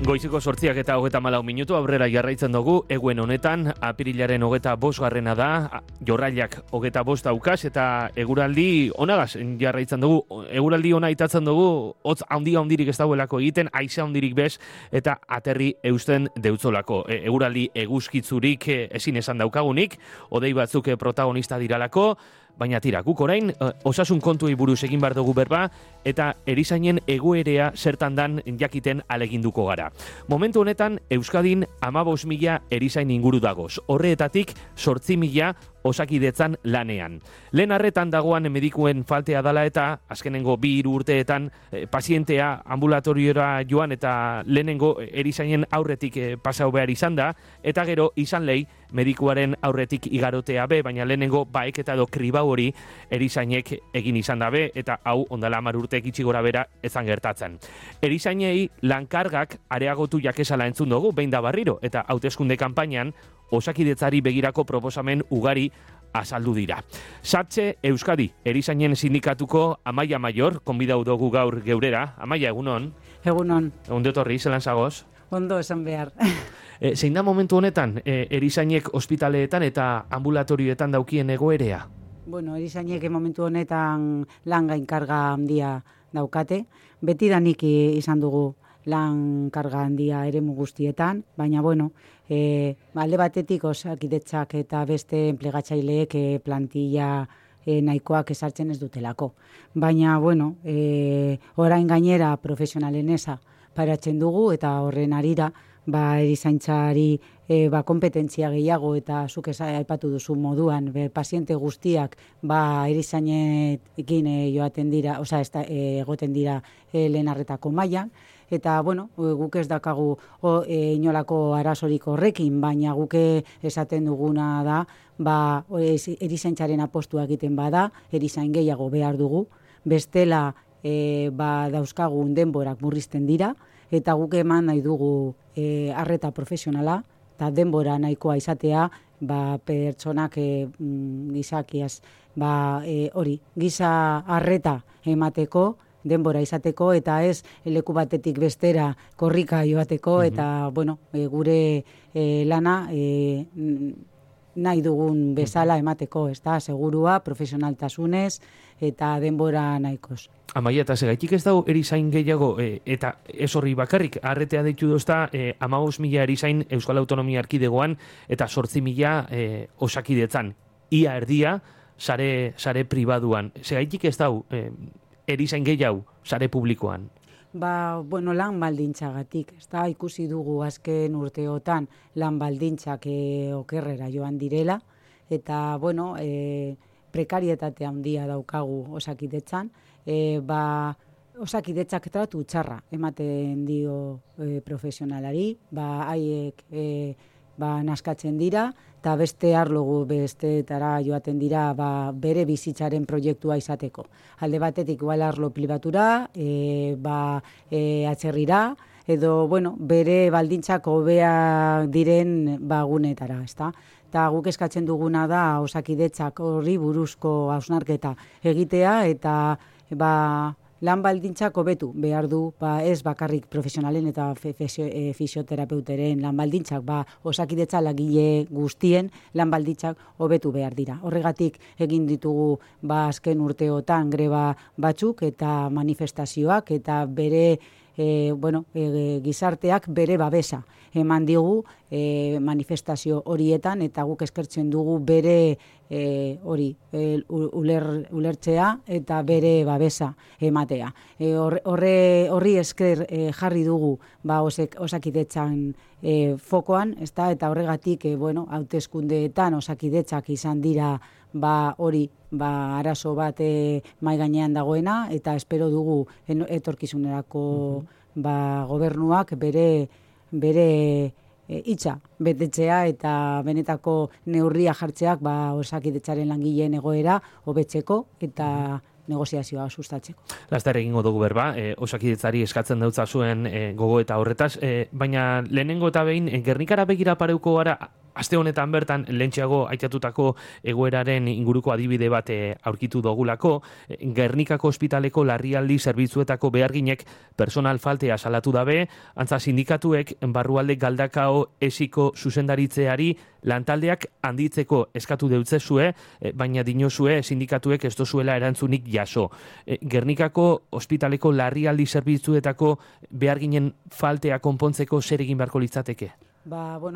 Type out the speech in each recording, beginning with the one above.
Goizeko 8:34 aurrera jarraitzen dugu, eguen honetan, apirilaren 25 da, jorrailak 25 daukas, eta eguraldi onagaz jarraitzen dugu. Eguraldi ona itatzen dugu, hotz handirik ez dauelako egiten, haize handirik bez, eta aterri eusten deutzolako. Eguraldi eguzkitzurik ezin esan daukagunik, hodei batzuk protagonista diralako, baina tira, guk orain osasun kontuei buruz egin behar dugu berba, eta erizainen egoerea zertan dan jakiten aleginduko gara. Momentu honetan, Euskadin 15.000 erizain inguru dagoz. Horreetatik 8.000 osakidetzan lanean. Lehen arretan dagoan medikuen faltea dala eta azkenengo 2 urteetan pazientea ambulatoriora joan eta lehenengo erizainen aurretik pasau behar izan da, eta gero izan lehi medikuaren aurretik igarotea be, baina lehenengo baeketa edo kribau hori erizainek egin izan dabe, eta hau ondala 10 urteek itxi gora bera ezan gertatzen. Erizainei lankargak areagotu jakesala entzun dugu, behin da barriro, eta hauteskunde kanpainan osakidetzari begirako proposamen ugari azaldu dira. Satxe Euskadi, erizainen sindikatuko Amaia Maior, konbidau dugu gaur geurera. Amaia, egunon? Egunon. Egun detorri, zelan zagoz? Ondo esan behar. Zein da momentu honetan, erizainek ospitaleetan eta ambulatorioetan daukien egoerea? Bueno, erizainek momentu honetan lan gainkarga handia daukate. Betidanik izan dugu lan karga handia eremu guztietan, baina bueno, alde batetik osakidetzak eta beste enplegatzaileek plantilla nahikoak esartzen ez dutelako. Baina bueno, orain gainera profesionalen eza paratzen dugu eta horren arira erizaintzari kompetentzia gehiago eta zuk aipatu duzu moduan paziente guztiak erizainekin joaten dira, egoten dira lehen arretako mailan. Eta, bueno, guk ez dakagu inolako arazorik horrekin, baina guk esaten duguna da, erizaintzaren apostua egiten bada, erizain gehiago behar dugu, bestela dauzkagun denborak murrizten dira, eta guk eman nahi dugu arreta profesionala, eta denbora nahikoa izatea, pertsonak gizakiaz, giza arreta emateko, denbora izateko, eta ez leku batetik bestera korrika joateko, eta, bueno, gure lana nahi dugun bezala emateko, ez da, segurua, profesionaltasunez, eta denbora nahikoz. Amaia, eta segaitik ez dago erizain gehiago, eta ez horri bakarrik, arretea deitu dozta 15.000 erizain Euskal Autonomia Erkidegoan, eta 8.000 osakidetzan. Ia erdia, sare pribaduan. Segaitik ez dago erizain gehiago, sare publikoan? Bueno, lan baldintzagatik, ez da, ikusi dugu azken urteotan lan baldintzak okerrera joan direla, eta, bueno, prekarietate handia daukagu osakidetzan, osakidetzak tratu txarra ematen dio profesionalari, haiek naskatzen dira, eta beste arlogu besteetara joaten dira bere bizitzaren proiektua izateko. Alde batetik igual arlo pribatura, atzerrira, edo, bueno, bere baldintzak hobea diren gunetara, ezta? Eta guk eskatzen duguna da osakidetzak horri buruzko hausnarketa egitea, eta lan baldintzak hobetu behar du, ez bakarrik profesionalen eta fisioterapeuteren lan baldintzak, osakidetza lagile guztien lan baldintzak hobetu behar dira. Horregatik egin ditugu azken urteotan greba batzuk eta manifestazioak, eta bere gizarteak bere babesa eman digu manifestazio horietan, eta guk eskertzen dugu bere ulertzea eta bere babesa ematea. Horri esker jarri dugu osakidetzan fokoan, eta horregatik hauteskundeetan osakidetzak izan dira arazo bat mai gainean dagoena, eta espero dugu etorkizunerako gobernuak bere hitza betetzea eta benetako neurria jartzeak osakidetzaren langileen egoera hobetzeko eta negoziazioa sustatzeko. Laster egingo dugu berba, osakidetzari eskatzen dautza zuen gogo eta horretaz, baina lehenengo eta behin Gernikara begira pareuko gara aste honetan bertan, lentxeago aitatutako egoeraren inguruko adibide bat aurkitu dogulako, Gernikako ospitaleko larrialdi zerbitzuetako beharginek personal faltea salatu dabe, antza sindikatuek barrualde galdakao esiko zuzendaritzeari lantaldeak handitzeko eskatu deutzezue, baina dinozue sindikatuek ez dozuela erantzunik jaso. Gernikako ospitaleko larrialdi zerbitzuetako beharginen faltea konpontzeko zer egin beharko litzateke?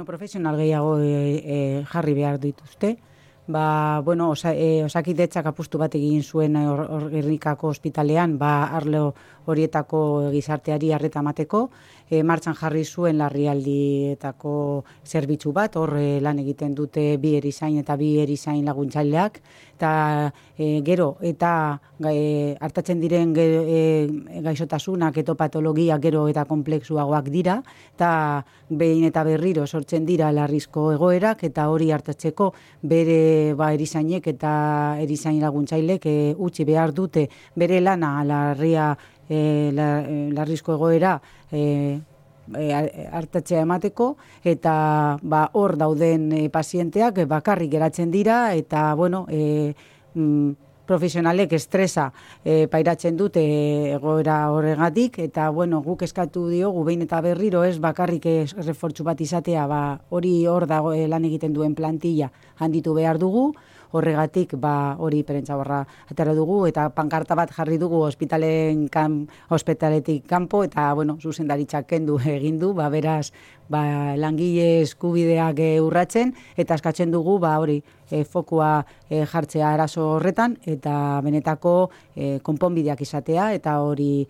Profesional gehiago jarri behar dituzte. Osakidetzak apustu bat egin zuen Gernikako ospitalean, arlo horietako gizarteari arreta emateko, martxan jarri zuen larrialdietako zerbitzu bat, hor lan egiten dute 2 erizain eta 2 erizain laguntzaileak, eta gero, eta hartatzen diren gaixotasunak eta patologia gero eta kompleksuagoak dira, eta behin eta berriro sortzen dira larrizko egoerak, eta hori hartatzeko bere erizainek eta erizain laguntzailek utzi behar dute bere lana larrizko egoera hartatzea emateko, eta hor dauden pazienteak bakarrik geratzen dira, eta profesionalek estresa pairatzen dute egoera horregatik, eta guk eskatu diogu behin eta berriro ez bakarrik errefortzu bat izatea, hori hor dago lan egiten duen plantilla handitu behar dugu, horregatik hori prentsaborra atera dugu, eta pankarta bat jarri dugu ospitaletik kanpo, eta zuzendaritzak kendu egin du, beraz langile eskubideak urratzen, eta eskatzen dugu hori fokua jartzea arazo horretan, eta benetako konponbideak izatea, eta hori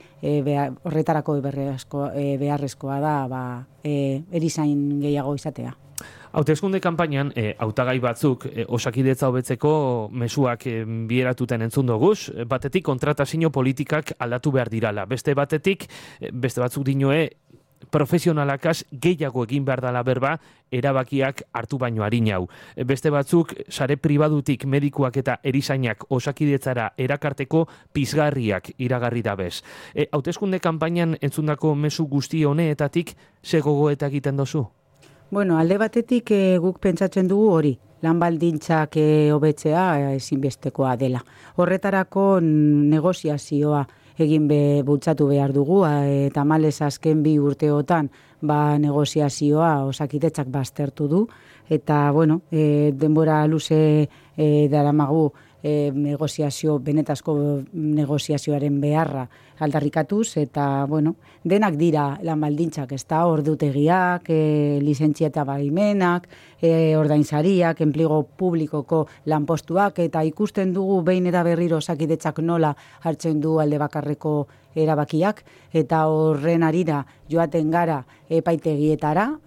horretarako beharrezkoa da erizain gehiago izatea. Hauteskunde kanpainan, hautagai batzuk osakidetza hobetzeko mezuak bieratuten entzun doguz, batetik kontratazio politikak aldatu behar dirala, beste batzuk dinoe profesionalakaz gehiago egin behar dela berba, erabakiak hartu baino harinau. Beste batzuk, sare pribadutik medikuak eta erizainak osakidetzara erakarteko pizgarriak iragarri dabez. Hauteskunde kanpainan entzundako mezu guzti honeetatik ze gogoeta egiten dozu? Alde batetik guk pentsatzen dugu hori, lan baldintzak hobetzea ezinbestekoa dela. Horretarako negoziazioa egin bultzatu behar dugu, eta malez azken 2 urteotan negoziazioa osakidetzak baztertu du, eta denbora luze daramagu benetazko negoziazioaren beharra aldarrikatuz, eta denak dira lan baldintzak, ez da, ordutegiak, lizentzia eta baimenak, ordainsariak, enplego publikoko lanpostuak, eta ikusten dugu behin eta berriro osakidetzak nola hartzen du alde bakarreko erabakiak, eta horren arira joaten gara epaitegietara,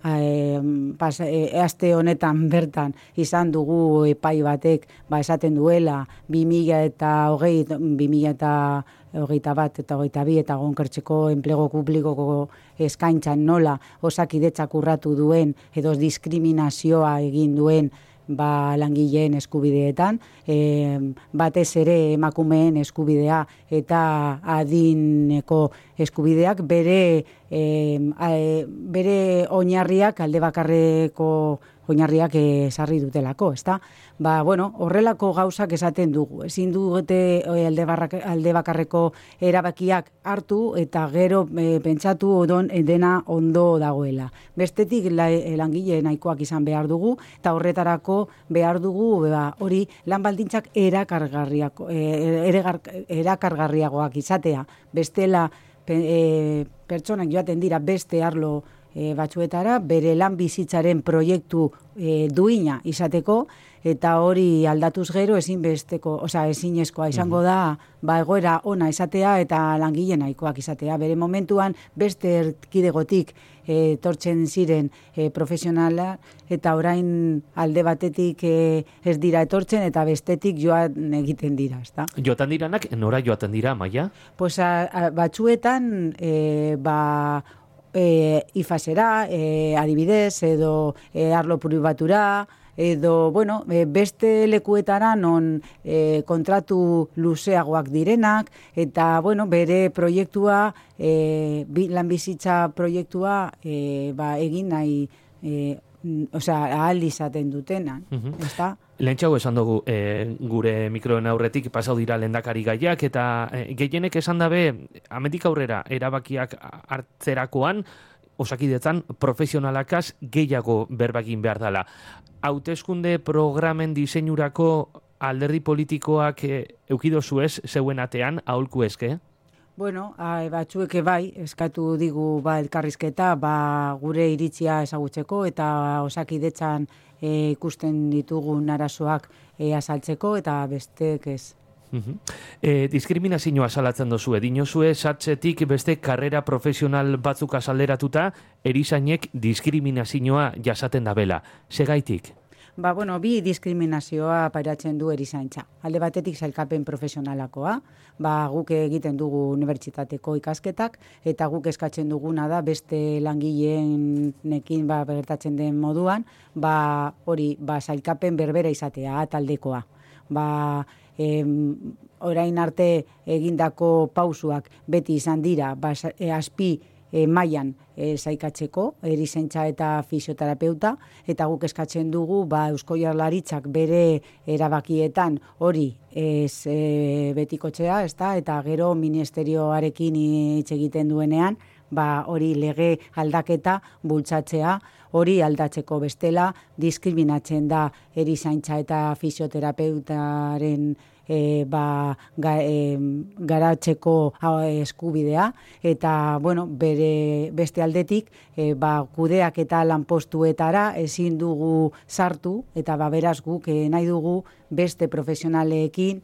aste honetan bertan izan dugu epai batek esaten duela 2021 eta 2022 eta Gonkertzeko enplego publikoko eskaintzan nola osakidetzak urratu duen edo diskriminazioa egin duen langileen eskubideetan, batez ere emakumeen eskubidea eta adineko eskubideak bere oinarriak alde bakarreko oinarriak sarri dutelako, ezta? Horrelako gauzak esaten dugu. Ezin dute alde bakarreko erabakiak hartu eta gero pentsatu dena ondo dagoela. Bestetik langile nahikoak izan behar dugu, eta horretarako behar dugu hori lan baldintzak erakargarriagoak izatea. Bestela pertsonak joaten dira beste arlo batzuetara, bere lan bizitzaren proiektu duina izateko, eta hori aldatuz gero ezinezkoa izango da egoera ona izatea eta langile nahikoak izatea. Bere momentuan beste erkidegotik etortzen ziren profesionala, eta orain alde batetik ez dira etortzen eta bestetik joan egiten dira, ezta? Joaten diranak, nora joaten dira, Maia? Batzuetan, ifasera, adibidez, edo arlo pribatura, edo, beste lekuetara non kontratu luzeagoak direnak, eta, bere proiektua, lanbizitza proiektua egin nahi ahal izaten dutena, ezta? Lehentxago esan dugu gure mikroen aurretik pasau dira lehendakari gaiak eta gehienek esan dabe amendik aurrera erabakiak hartzerakoan Osakidetzan profesionalakaz gehiago berbagin behar dela. Hauteskunde programen diseinurako alderdi politikoak eukidozu ez zeuen atean aholku eske? Bueno, batzuek bai, eskatu digu elkarrizketa, gure iritzia ezagutzeko eta Osakidetzan ikusten ditugun arazoak azaltzeko eta besteek ez. Diskriminazioa salatzen dozue, dinozue satzetik beste karrera profesional batzuk azalderatuta, erizainek diskriminazioa jasaten dabela. Segaitik? Bi diskriminazioa pairatzen du erizaintza. Alde batetik sailkapen profesionalakoa, guk egiten dugu unibertsitateko ikasketak, eta guk eskatzen duguna da beste langileenekin gertatzen den moduan, hori sailkapen berbera izatea, taldekoa. Orain arte egindako pausuak beti izan dira, azpi mailan saikatzeko, erizaintza eta fisioterapeuta, eta guk eskatzen dugu Eusko Jaurlaritzak bere erabakietan hori ez betikotzea, eta gero ministerioarekin hitz egiten duenean, hori lege aldaketa bultzatzea, hori aldatzeko bestela, diskriminatzen da erizaintza eta fisioterapeutaren garatzeko eskubidea, eta bere beste aldetik kudeak eta lanpostuetara ezin dugu sartu, eta beraz guk nahi dugu beste profesionaleekin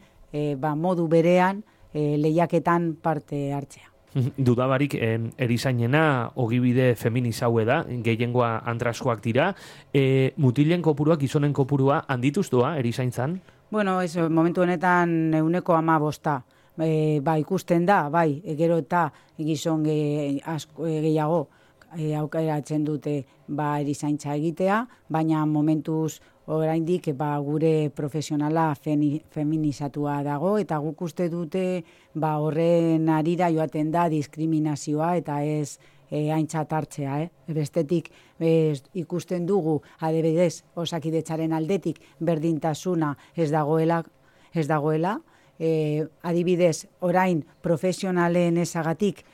modu berean lehiaketan parte hartzea. Dudabarik erizainena ogibide feminizaue da, gehiengoa andraskoak dira. Mutilen kopuruak, gizonen kopurua handituztua erizaintzan? Momentu honetan 15%. Ikusten da, gero eta gizon gehiago aukeratzen dute erizaintza egitea, baina momentuz oraindik gure profesionala feminizatua dago, eta guk uste dute horren arira joaten da diskriminazioa eta ez aintzat hartzea. Bestetik ikusten dugu adibidez Osakidetzaren aldetik berdintasuna ez dagoela, adibidez orain profesionalen ezagatik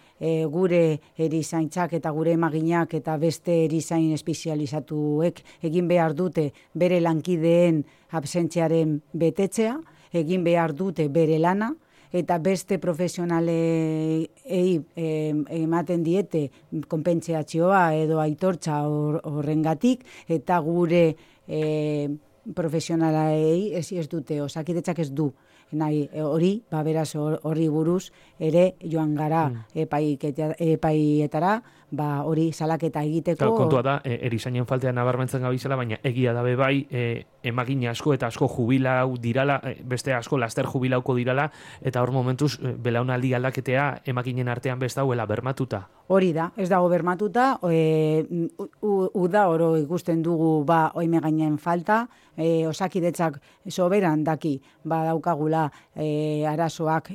gure erizaintzak eta gure emaginak eta beste erizain espezializatuek egin behar dute bere lankideen absentziaren betetzea, egin behar dute bere lana, eta beste profesionalei ematen diete konpentsazioa edo aitortza horrengatik, eta gure profesionalei ez dute, Osakidetzak ez du nahi hori, beraz horri buruz ere joan gara epaietara, hori salaketa egiteko. Kontua da, erizainen faltean nabarmentzen gabizela, baina egia dabe emagina asko eta asko jubilau dirala, beste asko laster jubilauko dirala, eta hor momentuz belaunaldi aldaketea emaginen artean besta huela bermatuta. Hori da, ez dago bermatuta, uda oro ikusten dugu oime gainen falta, Osakidetzak soberan daki daukagula arazoak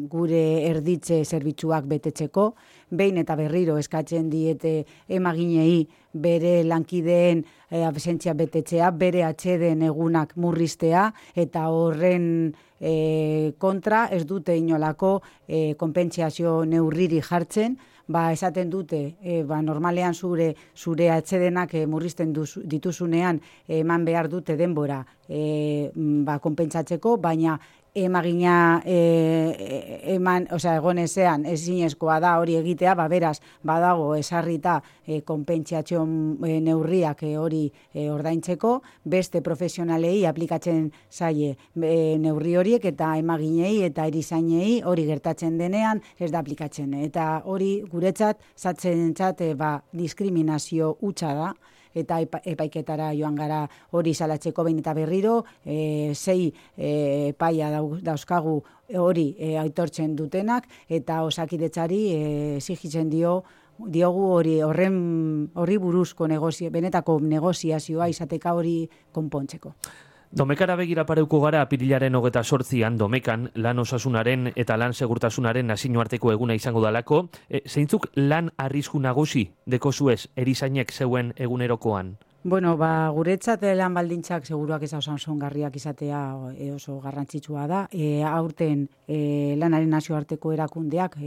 gure erditze zerbitzuak betetzeko, behin eta berriro eskatzen diete emaginei bere lankideen absentzia betetzea, bere atxeden egunak murriztea, eta horren kontra ez dute inolako konpentsazio neurriri jartzen, esaten dute, normalean zure atxedenak murrizten dituzunean eman behar dute denbora konpentsatzeko, baina emagina egonezean ezinezkoa da hori egitea, beraz, badago esarrita konpentsazio neurriak hori ordaintzeko, beste profesionalei aplikatzen zaie neurri horiek, eta emaginei eta erizainei hori gertatzen denean ez da aplikatzen. Eta hori guretzat, zatzentzat diskriminazio hutsa da, eta epaiketara joan gara hori salatzeko behin eta berriro, 6 epaia dauzkagu hori aitortzen dutenak, eta Osakidetzari exigitzen diogu horri buruzko benetako negoziazioa izateka hori konpontzeko. Domekara begira pareuko gara apirilaren 28an Domekan lan osasunaren eta lan segurtasunaren nazioarteko eguna izango dalako. Zeintzuk lan arrisku nagusi dekozuez erizainek zeuen egunerokoan? Bueno, guretzat lan baldintzak seguruak ez osasungarriak izatea oso garrantzitsua da. Aurten lanaren nazioarteko erakundeak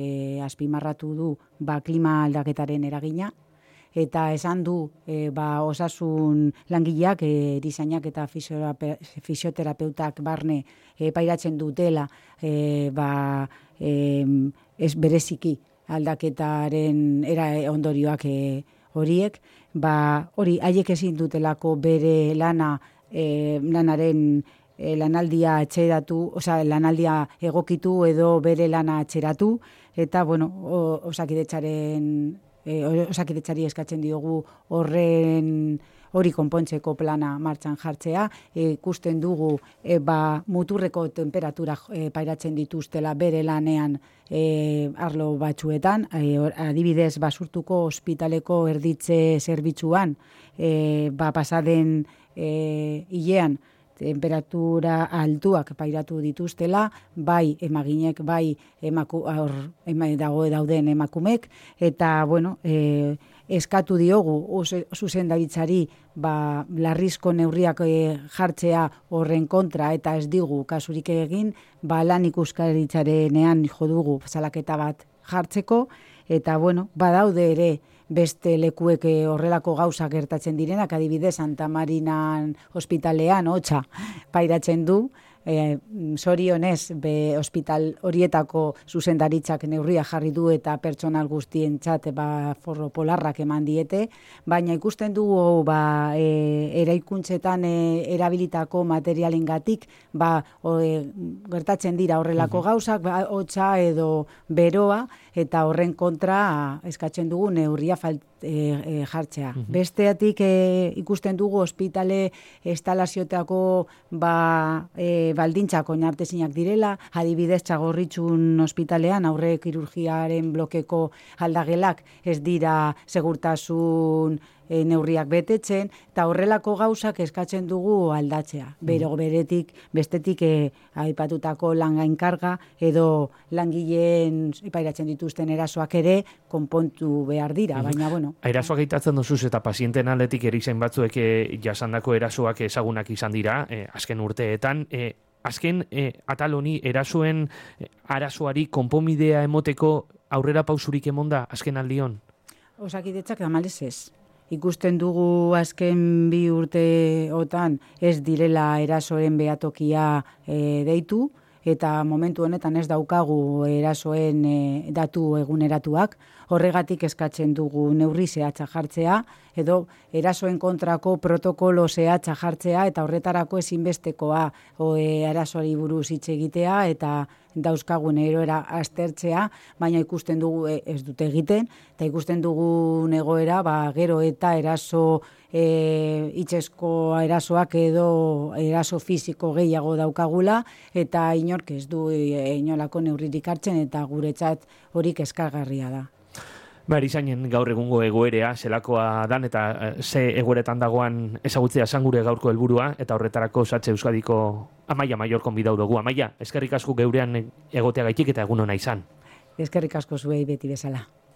azpimarratu du klima aldaketaren eragina, eta esan du osasun langileak, erizainak eta fisioterapeutak barne pairatzen dutela ez bereziki aldaketaren ondorioak horiek, hori haiek ezin dutelako bere lanaren lanaldia atxeratu, lanaldia egokitu edo bere lana atxeratu, eta Osakidetzari eskatzen diogu hori konpontzeko plana martxan jartzea. Ikusten dugu muturreko temperatura pairatzen dituztela bere lanean arlo batzuetan, adibidez Basurtuko ospitaleko erditze zerbitzuan pasaden hilean temperatura altuak pairatu dituztela, bai emaginek, bai dauden emakumek, eta eskatu diogu zuzendaritzari larrizko neurriak jartzea horren kontra, eta ez digu kasurik egin, lan ikuskaritzarenean jo dugu salaketa bat jartzeko, eta badaude ere beste lekuek horrelako gauzak gertatzen direnak, adibidez Santa Marinan ospitalean hotza pairatzen du, zorionez ospital horietako zuzendaritzak neurria jarri du eta pertsonal guztientzat forro polarrak eman diete, baina ikusten dugu eraikuntzetan erabilitako materialengatik gertatzen dira horrelako gauzak, hotza edo beroa, eta horren kontra eskatzen dugu neurria jartzea. Besteatik ikusten dugu ospitale instalazioetako baldintzak oinartezinak direla, adibidez Txagorritxun ospitalean aurre kirurgiaren blokeko aldagelak ez dira segurtasun neurriak betetzen, eta horrelako gauzak eskatzen dugu aldatzea. Bestetik aipatutako lan gainkarga edo langileen pairatzen dituzten erasoak ere konpontu behar dira, baina Erasoak aitatzen duzuz eta pazienten aldetik erizain batzuek jasandako erasoak ezagunak izan dira, azken urteetan. Azken atal honi erasoen arazoari konponbidea emoteko aurrera pausurik emonda azken aldion? Osakidetzak tamalez ez. Ikusten dugu azken 2 urteotan ez direla erasoen behatokia deitu, eta momentu honetan ez daukagu erasoen datu eguneratuak. Horregatik eskatzen dugu neurri zehatza jartzea, edo erasoen kontrako protokolo zehatza jartzea, eta horretarako ezinbestekoa erasoari buruz hitz egitea, eta dauzkagun egoera aztertzea, baina ikusten dugu ez dute egiten, eta ikusten dugu egoera gero eta eraso hitzezko erasoak edo eraso fisiko gehiago daukagula, eta inork ez du inolako neurririk hartzen, eta guretzat hori kezkagarria da. Erizainen gaur egungo egoerea zelakoa dan eta ze egoeretan dagoan ezagutzea zan gure gaurko helburua, eta horretarako Satse Euskadiko Amaia Maior konbidau dugu. Amaia, eskerrik asko geurean egoteagaitik eta egun ona izan. Eskerrik asko zuei beti bezala.